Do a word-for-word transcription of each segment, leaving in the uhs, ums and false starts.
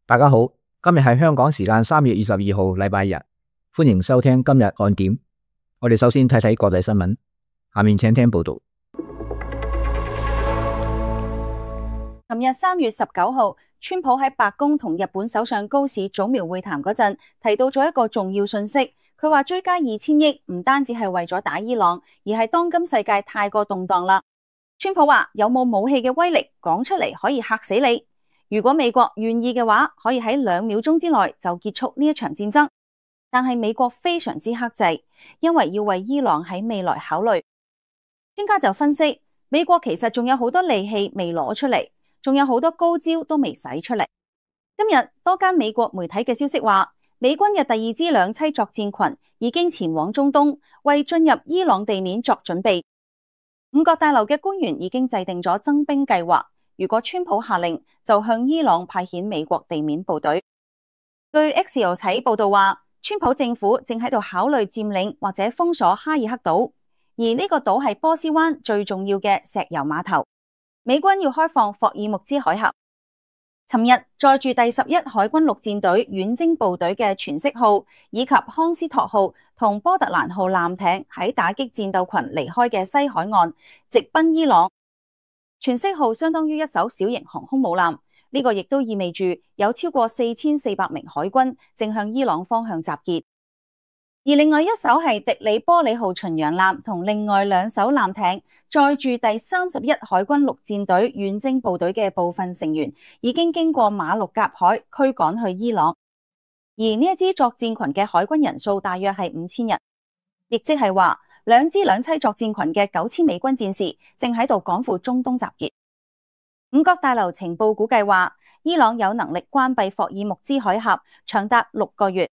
大家好，今日係香港時間三月二十二號，禮拜日，歡迎收聽今日看點。我哋首先睇睇國際新聞，下面請聽報道。琴日三月十九號，川普喺白宮同日本首相高市早苗會談嗰陣，提到咗一個重要訊息。佢話追加二千億唔單止係為咗打伊朗，而係當今世界太過動盪啦。川普話有冇武器嘅威力講出嚟可以嚇死你。如果美國願意嘅話，可以喺兩秒鐘之內就結束呢一場戰爭。但係美國非常之克制，因為要為伊朗喺未來考慮。專家就分析，美國其實仲有好多利器未攞出嚟。仲有好多高招都未使出嚟。今日多間美國媒體嘅消息話，美軍嘅第二支兩棲作戰群已經前往中東，為進入伊朗地面作準備。五角大樓嘅官員已經制定咗增兵計劃，如果川普下令，就向伊朗派遣美國地面部隊。據 Axios 喺報道話，川普政府正喺度考慮佔領或者封鎖哈爾克島，而呢個島係波斯灣最重要嘅石油碼頭。美軍要開放霍爾木茲海峽。尋日載住第十一海軍陸戰隊遠征部隊嘅全色號以及康斯托號同波特蘭號艦艇喺打擊戰鬥群離開嘅西海岸，直奔伊朗。全色號相當於一艘小型航空母艦，呢、這個亦都意味住有超過四千四百名海軍正向伊朗方向集結。而另外一艘係迪里波里號巡洋艦同另外兩艘艦艇載住第三十一海軍陸戰隊遠征部隊嘅部分成員，已經經過馬六甲海驅趕去伊朗。而呢一支作戰群嘅海軍人數大約係五千人，亦即係話兩支兩棲作戰群嘅九千美軍戰士正喺度趕赴中東集結。五角大樓情報估計話，伊朗有能力關閉霍爾木茲海峽長達六個月。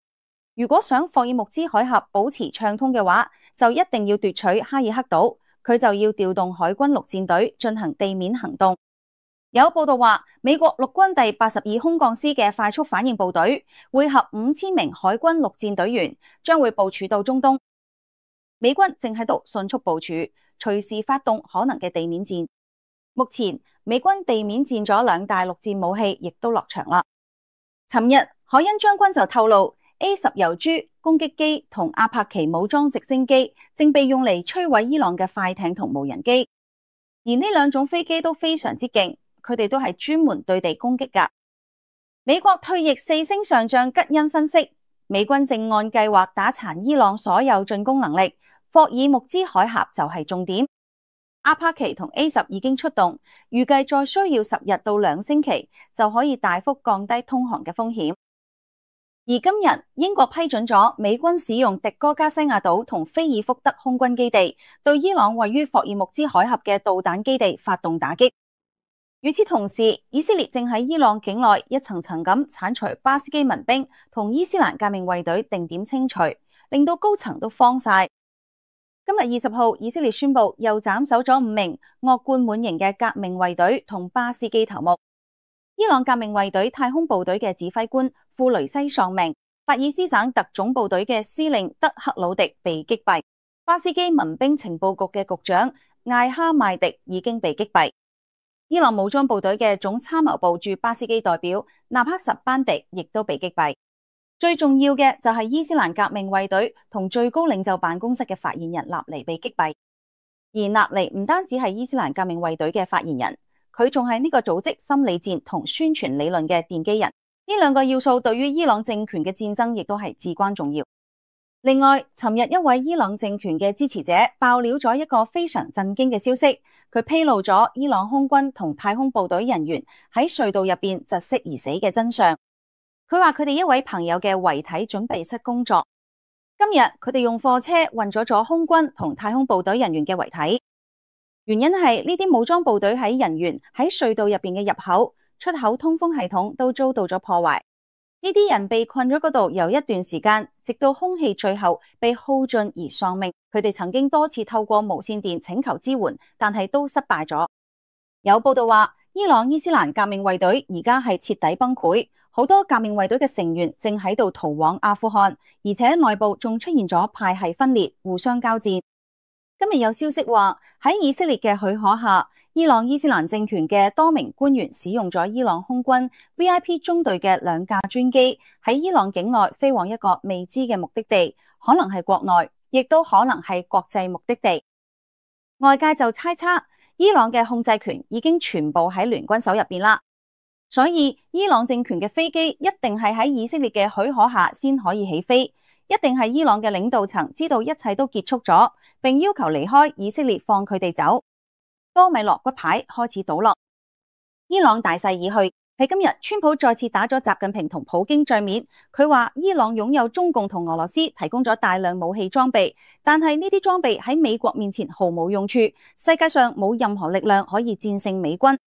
如果想霍爾木茲海峽保持暢通嘅話，就一定要奪取哈爾克島，佢就要調動海軍陸戰隊進行地面行動。有報道話，美國陸軍第八十二空降師嘅快速反應部隊會合五千名海軍陸戰隊員，將會部署到中東。美軍正喺度迅速部署，隨時發動可能嘅地面戰。目前美軍地面戰咗兩大陸戰武器，亦都落場啦。尋日海恩將軍就透露，A 十油豬攻擊機同阿帕奇武裝直升機正被用嚟摧毀伊朗嘅快艇同無人機，而呢兩種飛機都非常之勁，佢哋都係專門對地攻擊㗎。美國退役四星上將吉恩分析，美軍正按計劃打殘伊朗所有進攻能力，霍爾木茲海峽就係重點。阿帕奇同 A 十已經出動，預計再需要十日到兩星期就可以大幅降低通航嘅風險。而今日英國批准咗美軍使用迪戈加西亞島同菲爾福德空軍基地，對伊朗位於霍爾木茲海峽嘅導彈基地發動打擊。與此同時，以色列正喺伊朗境內一層層咁鏟除巴斯基民兵同伊斯蘭革命衛隊定點清除，令到高層都慌晒。今日二十號，以色列宣布又斬首咗五名惡貫滿盈嘅革命衛隊同巴斯基頭目。伊朗革命衛隊太空部隊嘅指揮官庫雷西喪命，法爾斯省特種部隊嘅司令德克魯迪被擊斃，巴斯基民兵情報局嘅局長艾哈邁迪已經被擊斃。伊朗武裝部隊嘅總參謀部駐巴斯基代表納克什班迪亦都被擊斃。最重要嘅就係伊斯蘭革命衛隊同最高領袖辦公室嘅發言人納尼被擊斃。而納尼唔單止係伊斯蘭革命衛隊嘅發言人，佢仲係呢個組織心理戰同宣傳理論嘅奠基人，呢兩個要素對於伊朗政權嘅戰爭亦都係至關重要。另外，尋日一位伊朗政權嘅支持者爆料咗一個非常震驚嘅消息，佢披露咗伊朗空軍同太空部隊人員喺隧道入邊窒息而死嘅真相。佢話佢哋一位朋友嘅遺體準備室工作，今日佢哋用貨車運咗咗空軍同太空部隊人員嘅遺體。原因係呢啲武裝部隊喺人員喺隧道入邊嘅入口、出口通風系統都遭到咗破壞。呢啲人被困咗嗰度有一段時間，直到空氣最後被耗盡而喪命。佢哋曾經多次透過無線電請求支援，但係都失敗咗。有報道話，伊朗伊斯蘭革命衛隊而家係徹底崩潰，好多革命衛隊嘅成員正喺度逃往阿富汗，而且內部仲出現咗派系分裂，互相交戰。今日有消息話，喺以色列嘅許可下，伊朗伊斯蘭政權嘅多名官員使用咗伊朗空軍 V I P 中隊嘅兩架專機喺伊朗境內飛往一個未知嘅目的地，可能係國內，亦都可能係國際目的地。外界就猜測，伊朗嘅控制權已經全部喺聯軍手入邊啦，所以伊朗政權嘅飛機一定係喺以色列嘅許可下先可以起飛，一定係伊朗嘅領導層知道一切都結束咗，並要求離開以色列，放佢哋走。多米諾骨牌開始倒落，伊朗大勢已去。喺今日，川普再次打咗習近平同普京帳面，佢話伊朗擁有中共同俄羅斯提供咗大量武器裝備，但係呢啲裝備喺美國面前毫無用處，世界上冇任何力量可以戰勝美軍。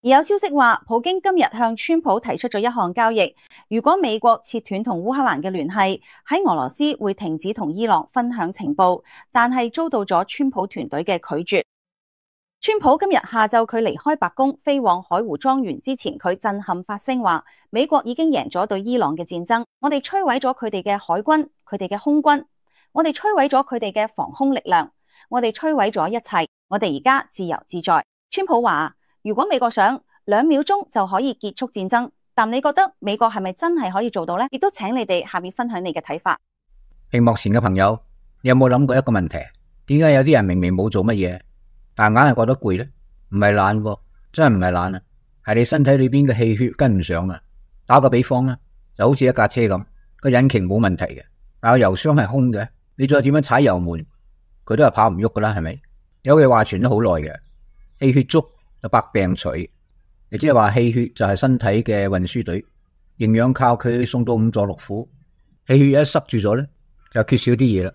而有消息話，普京今日向川普提出咗一項交易，如果美國切斷同烏克蘭嘅聯繫，喺俄羅斯會停止同伊朗分享情報，但係遭到咗川普團隊嘅拒絕。川普今日下晝佢離開白宮飛往海湖莊園之前，佢震撼發聲話，美國已經贏咗對伊朗嘅戰爭，我哋摧毀咗佢哋嘅海軍，佢哋嘅空軍，我哋摧毀咗佢哋嘅防空力量，我哋摧毀咗一切，我哋而家自由自在。川普話，如果美國想兩秒鐘就可以結束戰爭，但你覺得美國係咪真係可以做到呢？亦都請你哋下面分享你嘅睇法。屏幕前嘅朋友，你有冇諗過一個問題？點解有啲人明明冇做乜嘢，但硬係覺得攰呢？唔係懶喎，真係唔係懶啊，係你身體裏邊嘅氣血跟唔上啊。打個比方啦，就好似一架車咁，個引擎冇問題嘅，但係油箱係空嘅，你再點樣踩油門，佢都係跑唔喐噶啦，係咪？有句話傳咗好耐嘅，氣血足就百病除，亦即係話氣血就係身體嘅運輸隊，營養靠佢送到五臟六腑，氣血一塞住咗咧，就缺少啲嘢啦，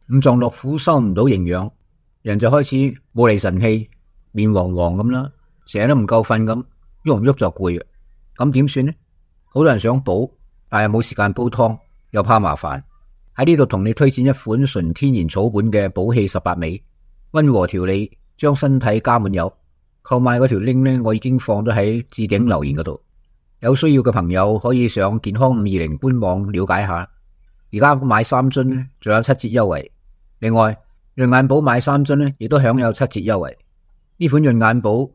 五臟六腑收唔到營養，人就開始冇厘神氣，面黃黃咁啦，成日都唔夠瞓咁，喐唔喐就攰嘅，咁點算呢？好多人想補，但係冇時間煲湯，又怕麻煩。喺呢度同你推薦一款純天然草本嘅補氣十八味，溫和調理，將身體加滿油。購買嗰條 link 呢，我已經放咗喺置頂留言嗰度，有需要嘅朋友可以上健康五二零官網了解下。而家買三樽呢，仲有七折優惠。另外，潤眼寶買三樽呢，亦都享有七折優惠。呢款潤眼寶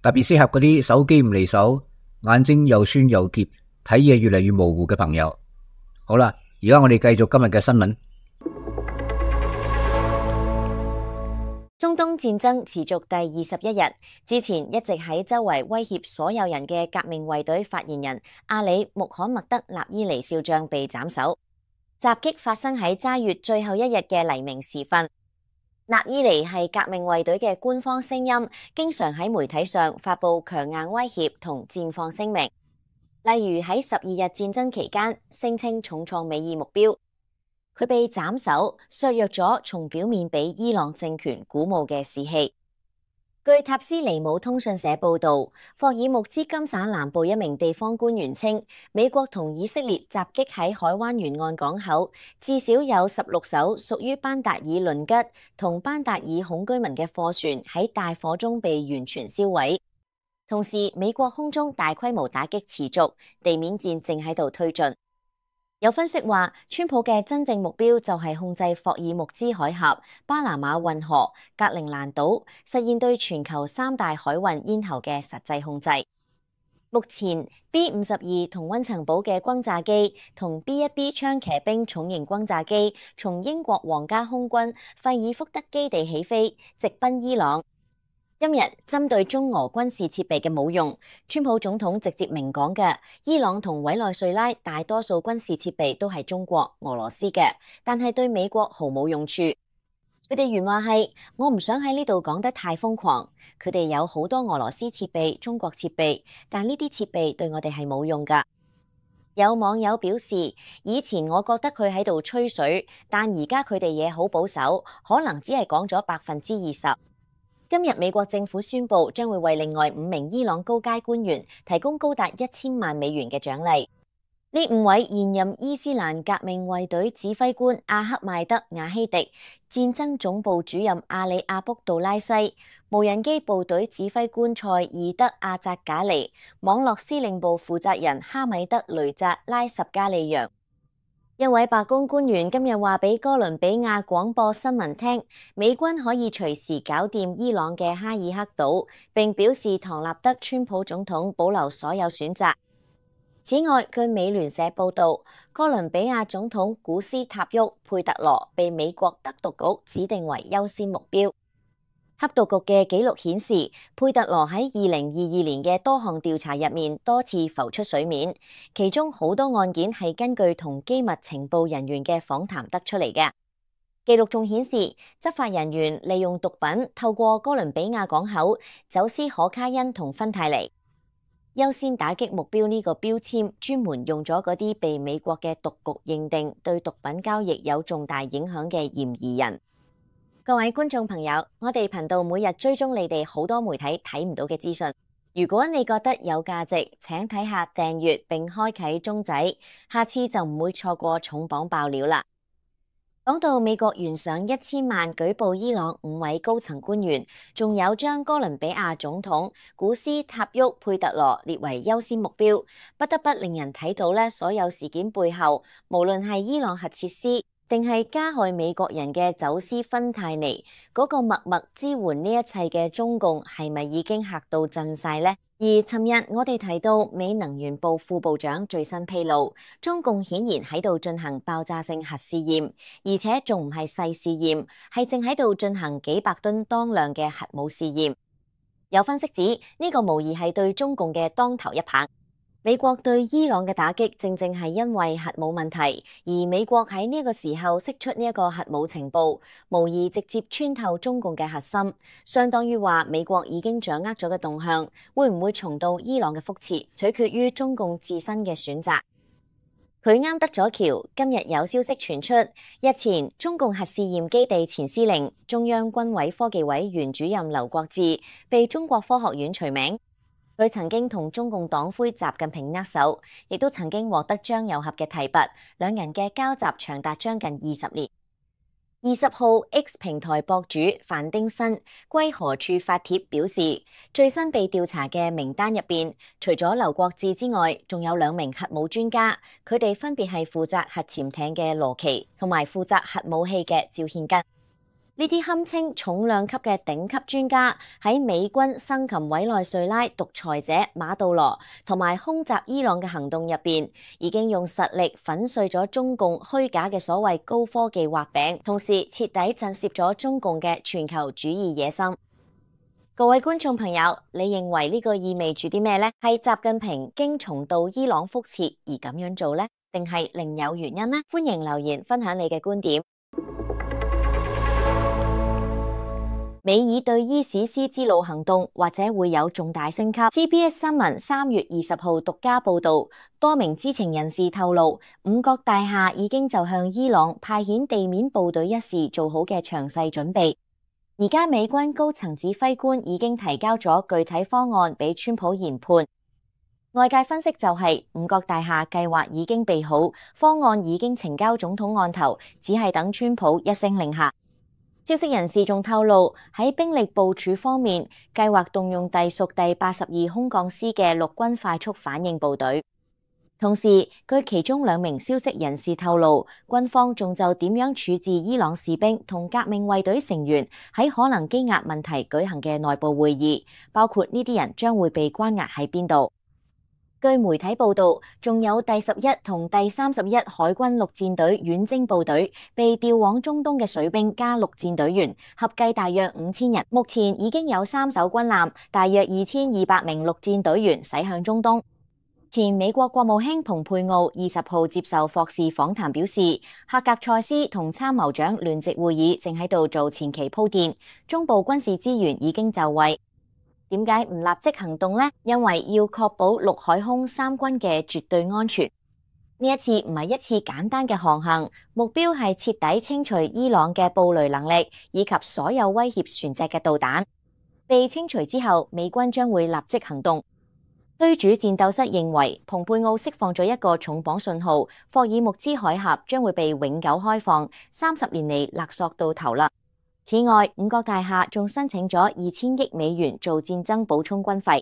特別適合嗰啲手機唔離手、眼睛又酸又澀、睇嘢越嚟越模糊嘅朋友。好啦，而家我哋繼續今日嘅新聞。中東戰爭持續第二十一日，之前一直喺周圍威脅所有人嘅革命衛隊發言人阿里穆罕默德納伊尼少將被斬首。襲擊發生喺齋月最後一日嘅黎明時分。納伊尼係革命衛隊嘅官方聲音，經常喺媒體上發佈強硬威脅同戰況聲明，例如喺十二日戰爭期間聲稱重創美爾目標。佢被斬首，削弱咗從表面俾伊朗政權鼓舞嘅士氣。據塔斯尼姆通訊社報導，霍爾木茲金省南部一名地方官員稱，美國同以色列襲擊喺海灣沿岸港口，至少有十六艘屬於班達爾倫吉同班達爾孔居民嘅貨船喺大火中被完全燒毀。同時，美國空中大規模打擊持續，地面戰正喺度推進。有分析話，川普嘅真正目標就係控制霍爾木茲海峽、巴拿馬運河、格陵蘭島，實現對全球三大海運咽喉嘅實際控制。目前 B 五十二同溫層堡嘅轟炸機同 B 一 B 槍騎兵重型轟炸機從英國皇家空軍費爾福德基地起飛，直奔伊朗。今日針對中俄軍事設備嘅冇用，川普總統直接明講嘅，伊朗同委內瑞拉大多數軍事設備都係中國、俄羅斯嘅，但係對美國毫無用處。佢哋原話係：我唔想喺呢度講得太瘋狂。佢哋有好多俄羅斯設備、中國設備，但呢啲設備對我哋係冇用㗎。有網友表示，以前我覺得佢喺度吹水，但而家佢哋嘢好保守，可能只係講咗百分之二十。今日美國政府宣布將會為另外五名伊朗高階官員提供高達一千萬美元嘅獎勵。呢五位現任伊斯蘭革命衛隊指揮官阿克邁德瓦希迪、戰爭總部主任阿里阿卜杜拉西、無人機部隊指揮官塞爾德阿扎賈尼、網絡司令部負責人哈米德雷扎拉什加利揚。一位白宮官員今日話俾哥倫比亞廣播新聞聽，美軍可以隨時搞掂伊朗嘅哈爾克島，並表示唐納德川普總統保留所有選擇。此外，據美聯社報導，哥倫比亞總統古斯塔沃·佩特羅被美國德毒局指定為優先目標。黑毒局嘅記錄顯示，佩特羅喺二零二二年嘅多項調查入面多次浮出水面，其中好多案件係根據同機密情報人員嘅訪談得出嚟嘅。記錄仲顯示，執法人員利用毒品透過哥倫比亞港口走私可卡因同芬太尼。優先打擊目標呢個標籤專門用咗嗰啲被美國嘅毒局認定對毒品交易有重大影響嘅嫌疑人。各位觀眾朋友，我哋頻道每日追蹤你哋好多媒體睇唔到嘅資訊。如果你覺得有價值，請睇下訂閱並開啟鐘仔，下次就唔會錯過重磅爆料啦。講到美國懸賞一千萬舉報伊朗五位高層官員，仲有將哥倫比亞總統古斯塔沃·佩特羅列為優先目標，不得不令人睇到咧，所有事件背後，無論係伊朗核設施，定係加害美國人嘅走私芬太尼，嗰個默默支援呢一切嘅中共係咪已經嚇到震晒呢？而尋日我哋提到美能源部副部長最新披露，中共顯然喺度進行爆炸性核試驗，而且仲唔係細試驗，係正喺度進行幾百噸當量嘅核武試驗。有分析指呢個無疑係對中共嘅當頭一棒。美國對伊朗嘅打擊正正係因為核武問題，而美國喺呢個時候釋出呢一個核武情報，無疑直接穿透中共嘅核心，相當於話美國已經掌握咗嘅動向，會唔會重蹈伊朗嘅覆轍，取決於中共自身嘅選擇。佢啱得咗橋，今日有消息傳出，日前中共核試驗基地前司令、中央軍委科技委原主任劉國志被中國科學院除名。佢曾經同中共黨魁習近平握手，亦都曾經獲得張又俠嘅提拔，兩人嘅交集長達將近二十年。二十號 X 平台博主范丁新歸何處發帖表示，最新被調查嘅名單入邊，除咗劉國志之外，仲有兩名核武專家，佢哋分別係負責核潛艇嘅羅奇，同埋負責核武器嘅趙憲根。呢啲堪稱重量級嘅頂級專家喺美軍生擒委內瑞拉獨裁者馬杜羅同埋空襲伊朗嘅行動入邊，已經用實力粉碎咗中共虛假嘅所謂高科技畫餅，同時徹底震懾咗中共嘅全球主義野心。各位觀眾朋友，你認為呢個意味住啲咩呢？係習近平經重蹈伊朗覆轍而咁樣做呢？定係另有原因呢？歡迎留言分享你嘅觀點。美爾對伊史斯之路行動或者會有重大升級。C B S 新聞三月二十號獨家報道，多名知情人士透露，五角大廈已經就向伊朗派遣地面部隊一事做好嘅詳細準備。而家美軍高層指揮官已經提交咗具體方案俾川普研判。外界分析就係五角大廈計劃已經備好，方案已經呈交總統案頭，只係等川普一聲令下。消息人士仲透露，喺兵力部署方面，計劃動用隸屬第八十二空降師嘅陸軍快速反應部隊。同時，據其中兩名消息人士透露，軍方仲就點樣處置伊朗士兵同革命衛隊成員喺可能羈押問題舉行嘅內部會議，包括呢啲人將會被關押喺邊度。據媒體報道，仲有第十一同第三十一海軍陸戰隊遠征部隊被調往中東嘅水兵加陸戰隊員，合計大約五千人。目前已經有三艘軍艦，大約二千二百名陸戰隊員駛向中東。前美國國務卿蓬佩奧二十號接受霍士訪談表示，赫格塞斯同參謀長聯席會議正喺度做前期鋪墊，中部軍事資源已經就位。點解唔立即行動呢？因為要確保陸海空三軍嘅絕對安全。呢一次唔係一次簡單嘅航行，目標係徹底清除伊朗嘅布雷能力以及所有威脅船隻嘅導彈。被清除之後，美軍將會立即行動。推主戰鬥室認為，蓬佩奧釋放咗一個重磅信號，霍爾木茲海峽將會被永久開放，三十年嚟勒索到頭啦。此外，五角大廈仲申請咗二千億美元做戰爭補充軍費。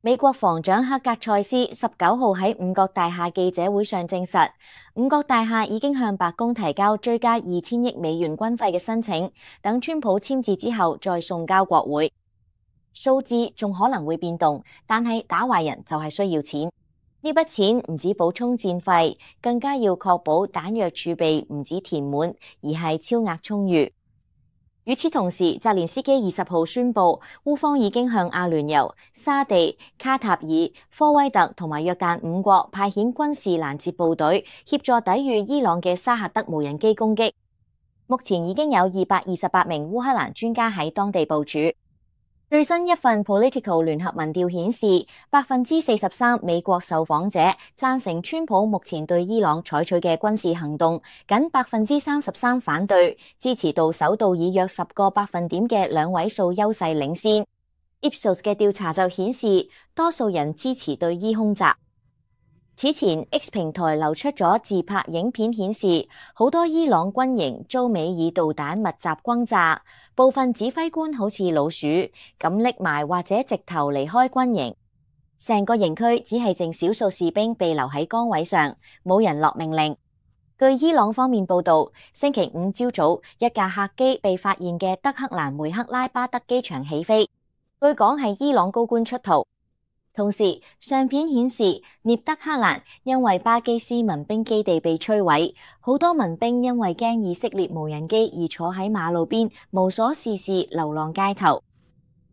美國防長克格塞斯十九號喺五角大廈記者會上證實，五角大廈已經向白宮提交追加二千億美元軍費嘅申請，等川普簽字之後再送交國會。數字仲可能會變動，但係打壞人就係需要錢。呢筆錢唔止補充戰費，更加要確保彈藥儲備唔止填滿，而係超額充裕。與此同時，澤連斯基二十號宣布，烏方已經向阿聯酋、沙地、卡塔爾、科威特同埋約旦五國派遣軍事攔截部隊，協助抵禦伊朗嘅沙赫德無人機攻擊。目前已經有二百二十八名烏克蘭專家喺當地部署。最新一份 Politico 聯合民調顯示，百分之四十三美國受訪者贊成川普目前對伊朗採取嘅軍事行動，僅百分之三十三反對，支持度首度以約十個百分點嘅兩位數優勢領先。Ipsos 嘅調查就顯示，多數人支持對伊空襲。此前 X 平台流出咗自拍影片，顯示好多伊朗軍營遭美爾導彈密集轟炸，部分指揮官好似老鼠咁匿埋或者直頭離開軍營，成個營區只係剩少數士兵被留喺崗位上，冇人落命令。據伊朗方面報道，星期五朝早一架客機被發現嘅德黑蘭梅克拉巴德機場起飛，據講係伊朗高官出逃。同時，相片顯示聶德克蘭因為巴基斯民兵基地被摧毀，好多民兵因為驚以色列無人機而坐喺馬路邊無所事事，流浪街頭。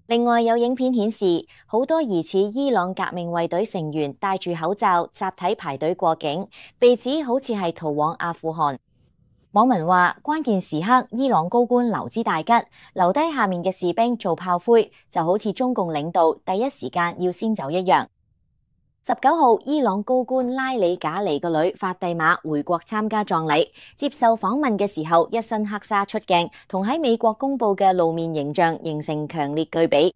另外有影片顯示，好多疑似伊朗革命衛隊成員戴住口罩集體排隊過境，被指好似係逃往阿富汗。網民話，關鍵時刻伊朗高官留之大吉，留低下面嘅士兵做炮灰，就好似中共領導第一時間要先走一樣。十九號，伊朗高官拉里賈尼個女法蒂瑪回國參加葬禮，接受訪問嘅時候，一身黑紗出鏡，同喺美國公布嘅露面形象形成強烈對比。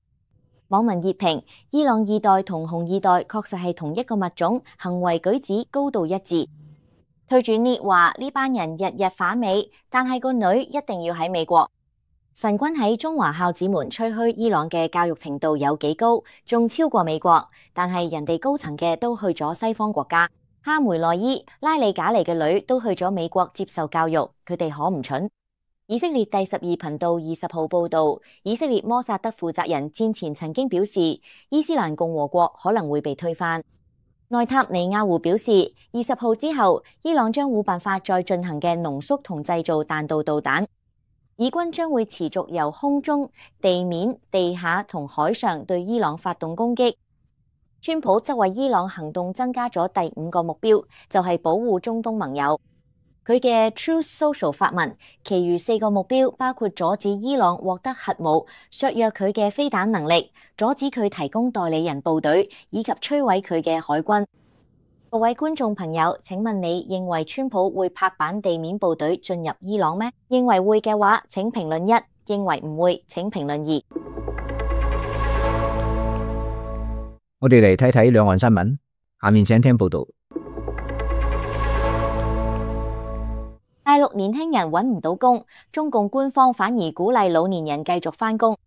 網民熱評：伊朗二代同紅二代確實係同一個物種，行為舉止高度一致。推主聶話呢班人日日反美，但係個女一定要喺美國。神君喺中華孝子們吹噓伊朗嘅教育程度有幾高，仲超過美國，但係人哋高層嘅都去咗西方國家。哈梅內伊、拉里賈尼嘅女都去咗美國接受教育，佢哋可唔蠢？以色列第十二頻道二十號報道，以色列摩薩德負責人戰前曾經表示，伊斯蘭共和國可能會被推翻。內塔尼亞胡表示，二十號之後，伊朗將冇辦法再進行嘅濃縮同製造彈道導彈。以軍將會持續由空中、地面、地下同海上對伊朗發動攻擊。川普則為伊朗行動增加咗第五個目標，就係保護中東盟友。佢嘅 Truth Social 發文，其餘四個目標包括阻止伊朗獲得核武、削弱佢嘅飛彈能力、阻止佢提供代理人部隊，以及摧毀佢嘅海軍。各位觀眾朋友，請問你認為川普會拍板地面部隊進入伊朗咩？認為會嘅話，請評論一；認為唔會，請評論二。我哋嚟睇睇兩岸新聞，下面請聽報道。大陸年輕人揾唔到工，中共官方反而鼓勵老年人繼續返工。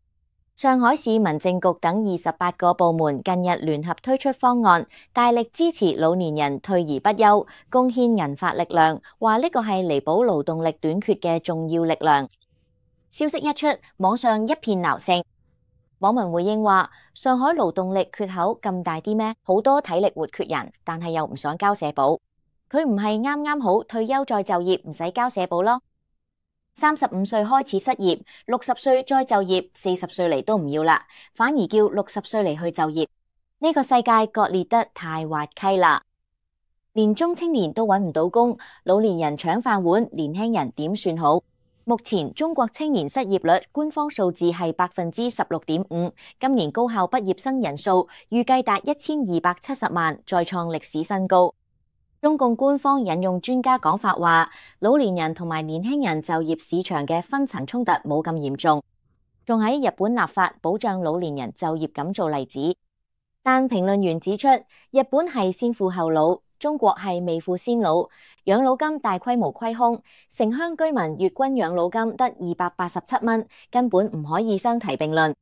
上海市民政局等二十八個部門近日聯合推出方案，大力支持老年人退而不休，貢獻銀髮力量，話呢個係彌補勞動力短缺嘅重要力量。消息一出，網上一片鬧聲。網民回應話：上海勞動力缺口咁大啲咩？好多體力活缺人，但係又唔想交社保。佢唔係啱啱好退休再就業，唔使交社保咯。三十五歲開始失業，六十歲再就業，四十歲嚟都唔要啦，反而叫六十歲嚟去就業。呢個世界割裂得太滑稽啦！連中青年都揾唔到工，老年人搶飯碗，年輕人點算好？目前中國青年失業率官方數字係百分之十六點五，今年高校畢業生人數預計達一千二百七十萬，再創歷史新高。中共官方引用專家講法話，老年人同埋年輕人就業市場嘅分層衝突冇咁嚴重，仲喺日本立法保障老年人就業咁做例子。但評論員指出，日本係先富後老，中國係未富先老，養老金大規模虧空，城鄉居民月均養老金得二百八十七蚊，根本唔可以相提並論。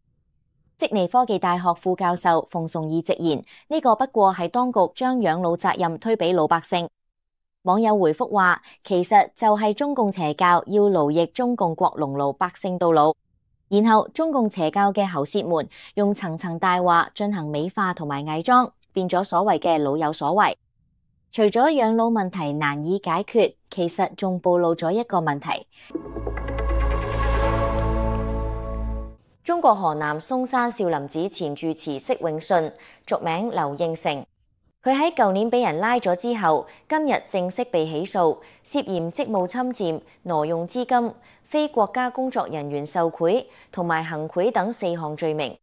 悉尼科技大學副教授馮崇義直言，呢、這個不過係當局將養老責任推俾老百姓。網友回覆話，其實就係中共邪教要奴役中共國農奴百姓到老，然後中共邪教嘅喉舌們用層層大話進行美化同埋偽裝，變咗所謂嘅老有所為。除咗養老問題難以解決，其實仲暴露咗一個問題。中國河南嵩山少林寺前住持釋永信，俗名劉應成，佢喺舊年俾人拉咗之後，今日正式被起訴，涉嫌職務侵佔、挪用資金、非國家工作人員受賄同埋行賄等四項罪名。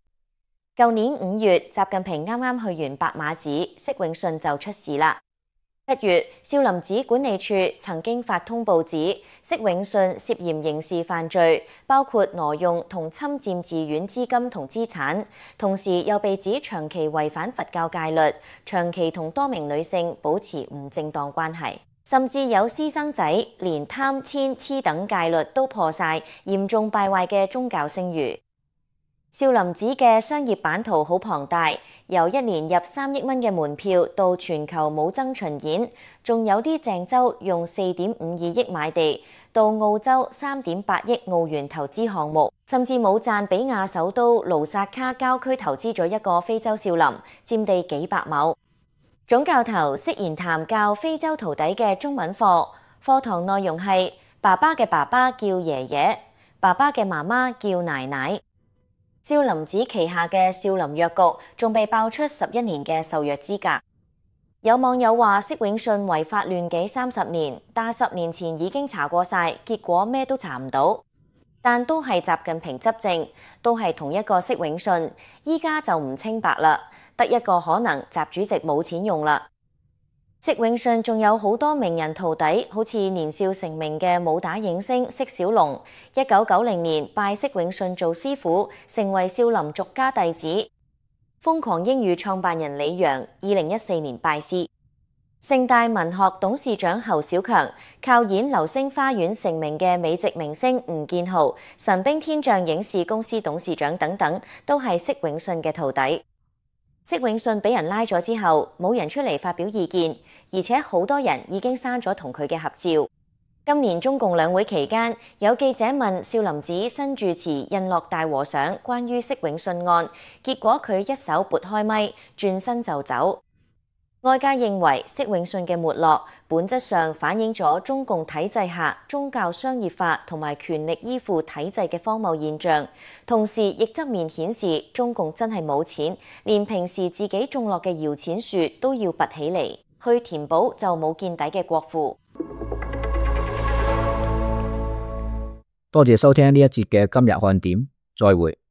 舊年五月，習近平啱啱去完白馬寺，釋永信就出事啦。七月，少林寺管理處曾經發通報指，釋永信涉嫌刑事犯罪，包括挪用同侵佔寺院資金同資產，同時又被指長期違反佛教戒律，長期同多名女性保持唔正當關係，甚至有私生仔，連貪遷黐等戒律都破晒，嚴重敗壞嘅宗教聲譽。少林寺嘅商業版圖好龐大，由一年入三億蚊嘅門票到全球武僧巡演，仲有啲鄭州用四點五二億買地，到澳洲三點八億澳元投資項目，甚至冇贊比亞首都盧薩卡郊區投資咗一個非洲少林，佔地幾百畝。總教頭釋賢談教非洲徒弟嘅中文課，課堂內容係爸爸嘅爸爸叫爺爺，爸爸嘅媽媽叫奶奶。少林寺旗下嘅少林藥局仲被爆出十一年嘅受藥資格。有網友話釋永信違法亂紀三十年，但十年前已經查過晒，結果咩都查唔到。但都係習近平執政，都係同一個釋永信，依家就唔清白啦。得一個可能，習主席冇錢用啦。釋永信仲有好多名人徒弟，好似年少成名嘅武打影星釋小龍，一九九零年拜釋永信做師傅，成為少林俗家弟子。瘋狂英語創辦人李陽，二零一四年拜師。盛大文學董事長侯小強，靠演《流星花園》成名嘅美籍明星吳建豪，神兵天將影視公司董事長等等，都係釋永信嘅徒弟。釋永信俾人拉咗之後，冇人出嚟發表意見，而且好多人已經刪咗同佢嘅合照。今年中共兩會期間，有記者問少林寺新住持印樂大和尚關於釋永信案，結果佢一手撥開咪，轉身就走。外界認為釋永信嘅沒落，本質上反映咗中共體制下宗教商業化同埋權力依附體制嘅荒謬現象，同時亦側面顯示中共真係冇錢，連平時自己種落嘅搖錢樹都要拔起嚟去填補就冇見底嘅國庫。多謝收聽呢一節嘅今日看點，再會。